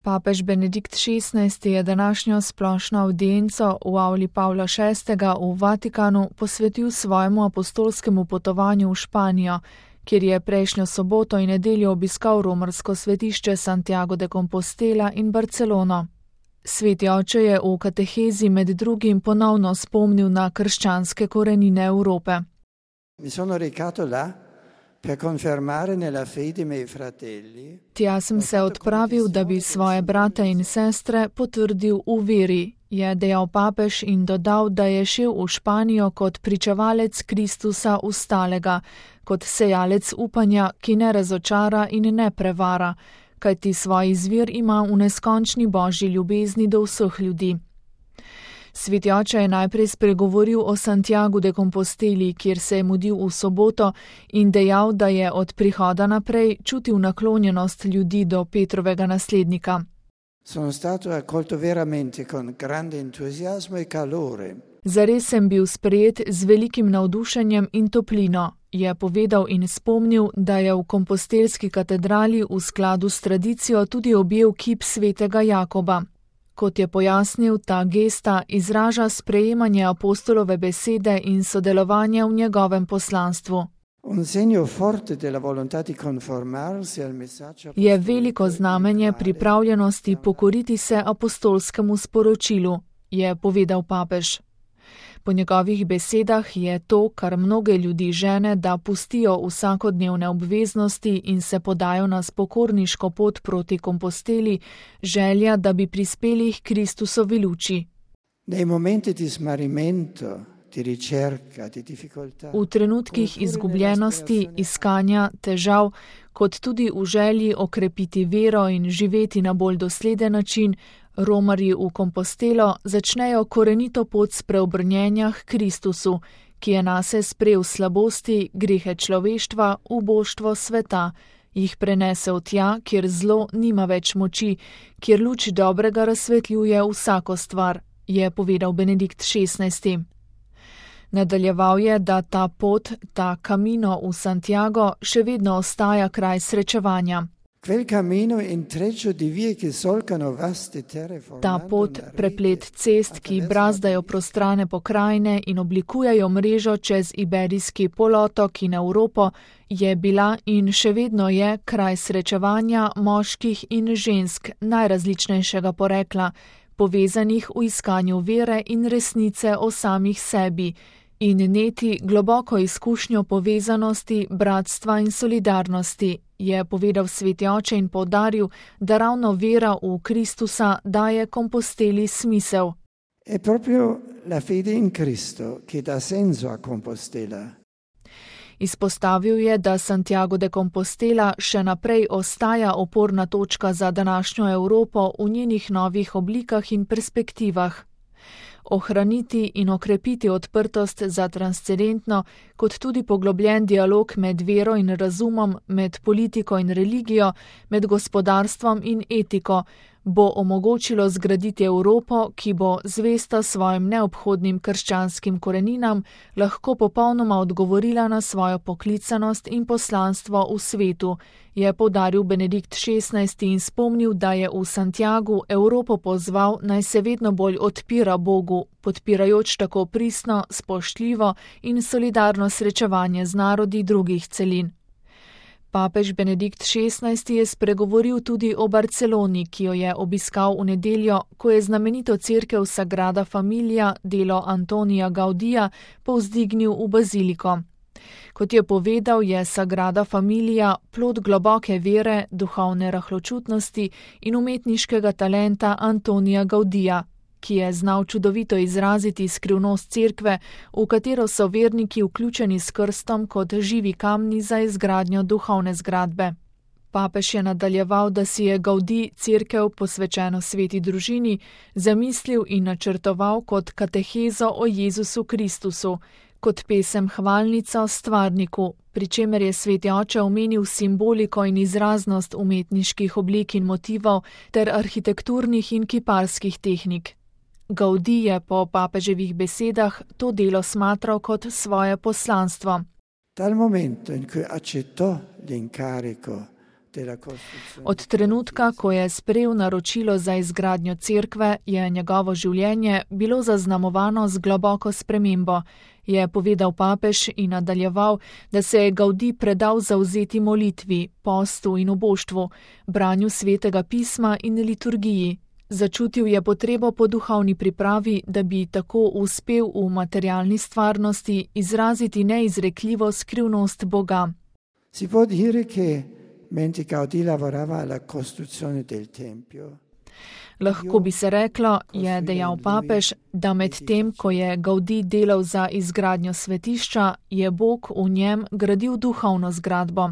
Papež Benedikt XVI je današnjo splošno avdienco v avli Pavla VI. V Vatikanu posvetil svojemu apostolskemu potovanju v Španijo, kjer je prejšnjo soboto in nedeljo obiskal romarsko svetišče Santiago de Compostela in Barcelono. Sveti oče je v katehezi med drugim ponovno spomnil na krščanske korenine Evrope. Tja sem se odpravil, da bi svoje brate in sestre potrdil v veri, je dejal papež in dodal, da je šel v Španijo kot pričevalec Kristusa ustalega, kot sejalec upanja, ki ne razočara in ne prevara, kajti svoj izvir ima v neskončni božji ljubezni do vseh ljudi. Sveti oče je najprej spregovoril o Santiagu de Composteli, kjer se je mudil v soboto in dejal, da je od prihoda naprej čutil naklonjenost ljudi do Petrovega naslednika. Zares sem bil sprejet z velikim navdušenjem in toplino, je povedal in spomnil, da je v kompostelski katedrali v skladu s tradicijo tudi objel kip svetega Jakoba. Kot je pojasnil, ta gesta izraža sprejemanje apostolove besede in sodelovanje v njegovem poslanstvu. Je veliko znamenje pripravljenosti pokoriti se apostolskemu sporočilu, je povedal papež. Po njegovih besedah je to, kar mnoge ljudi žene, da pustijo vsakodnevne obveznosti in se podajo na spokorniško pot proti Komposteli, želja, da bi prispeli k Kristusovi luči. V trenutkih izgubljenosti, iskanja, težav, kot tudi v želji okrepiti vero in živeti na bolj dosleden način, romarji v Kompostelo začnejo korenito pot spreobrnjenja k Kristusu, ki je nase sprejel slabosti, grehe človeštva, uboštvo sveta, jih prenesel tja, kjer zlo nima več moči, kjer luč dobrega razsvetljuje vsako stvar, je povedal Benedikt XVI. Nadaljeval je, da ta pot, ta Camino v Santiago še vedno ostaja kraj srečevanja. Ta pot, preplet cest, ki brazdajo prostrane pokrajine in oblikujejo mrežo čez Iberijski polotok in Evropo, je bila in še vedno je kraj srečevanja moških in žensk najrazličnejšega porekla, povezanih v iskanju vere in resnice o samih sebi in neti globoko izkušnjo povezanosti, bratstva in solidarnosti, je povedal sveti oče in poudaril, da ravno vera v Kristusa daje Komposteli smisel. Izpostavil je, da Santiago de Compostela še naprej ostaja oporna točka za današnjo Evropo v njenih novih oblikah in perspektivah. Ohraniti in okrepiti odprtost za transcendentno, kot tudi poglobljen dialog med vero in razumom, med politiko in religijo, med gospodarstvom in etiko, bo omogočilo zgraditi Evropo, ki bo zvesta svojim neobhodnim krščanskim koreninam, lahko popolnoma odgovorila na svojo poklicanost in poslanstvo v svetu, je poudaril Benedikt XVI in spomnil, da je v Santiagu Evropo pozval, naj se vedno bolj odpira Bogu, podpirajoč tako pristno, spoštljivo in solidarno srečevanje z narodi drugih celin. Papež Benedikt XVI je spregovoril tudi o Barceloni, ki jo je obiskal v nedeljo, ko je znamenito cerkev Sagrada Familia, delo Antonija Gaudija, povzdignil v baziliko. Kot je povedal, je Sagrada Familia plod globoke vere, duhovne rahločutnosti in umetniškega talenta Antonija Gaudija, ki je znal čudovito izraziti skrivnost cerkve, v katero so verniki vključeni s krstom kot živi kamni za izgradnjo duhovne zgradbe. Papež je nadaljeval, da si je Gaudij cerkev, posvečeno sveti družini, zamislil in načrtoval kot katehezo o Jezusu Kristusu, kot pesem hvalnico stvarniku, pri čemer je sveti oče omenil simboliko in izraznost umetniških oblik in motivov ter arhitekturnih in kiparskih tehnik. Gaudij je po papeževih besedah to delo smatral kot svoje poslanstvo. Od trenutka, ko je sprejel naročilo za izgradnjo cerkve, je njegovo življenje bilo zaznamovano z globoko spremembo, je povedal papež in nadaljeval, da se je Gaudí predal zavzeti molitvi, postu in oboštvu, branju svetega pisma in liturgiji. Začutil je potrebo po duhovni pripravi, da bi tako uspel v materialni stvarnosti izraziti neizrekljivo skrivnost Boga. Si può dire che mentre Gaudí lavorava alla costruzione del tempio, lahko bi se reklo, je dejal papež, da med tem, ko je Gaudí delal za izgradnjo svetišča, je Bog v njem gradil duhovno zgradbo.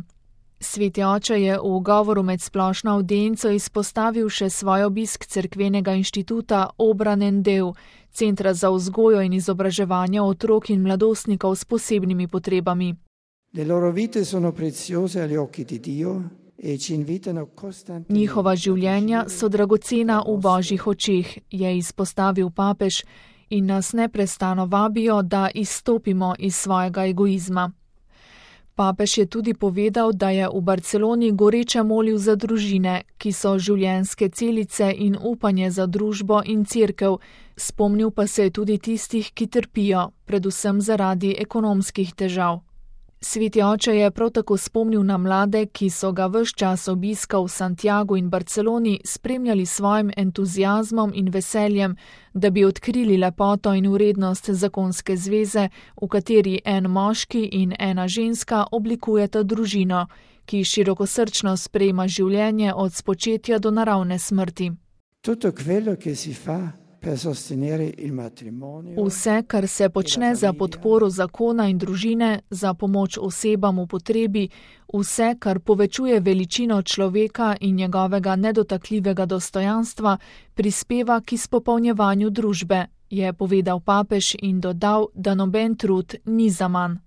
Sveti oče je v govoru med splošno avdienco izpostavil še svoj obisk cerkvenega inštituta Obranen Deu, centra za vzgojo in izobraževanje otrok in mladostnikov s posebnimi potrebami. Le loro vite sono preziose agli occhi di Dio e ci invitano costantemente. Njihova življenja so dragocena v Božjih očeh, je izpostavil papež, in nas neprestano vabijo, da izstopimo iz svojega egoizma. Papež je tudi povedal, da je v Barceloni goreče molil za družine, ki so življenjske celice in upanje za družbo in cerkev, spomnil pa se je tudi tistih, ki trpijo, predvsem zaradi ekonomskih težav. Sveti oče je prav tako spomnil na mlade, ki so ga ves čas obiska v Santiagu in Barceloni spremljali svojim entuziazmom in veseljem, da bi odkrili lepoto in vrednost zakonske zveze, v kateri en moški in ena ženska oblikujeta družino, ki širokosrčno sprejema življenje od spočetja do naravne smrti. Tutto quello che si fa per sostenere il matrimonio. Vse, kar se počne za podporo zakona in družine, za pomoč osebam v potrebi, vse, kar povečuje veličino človeka in njegovega nedotakljivega dostojanstva, prispeva k izpopolnjevanju družbe, je povedal papež in dodal, da noben trud ni zaman.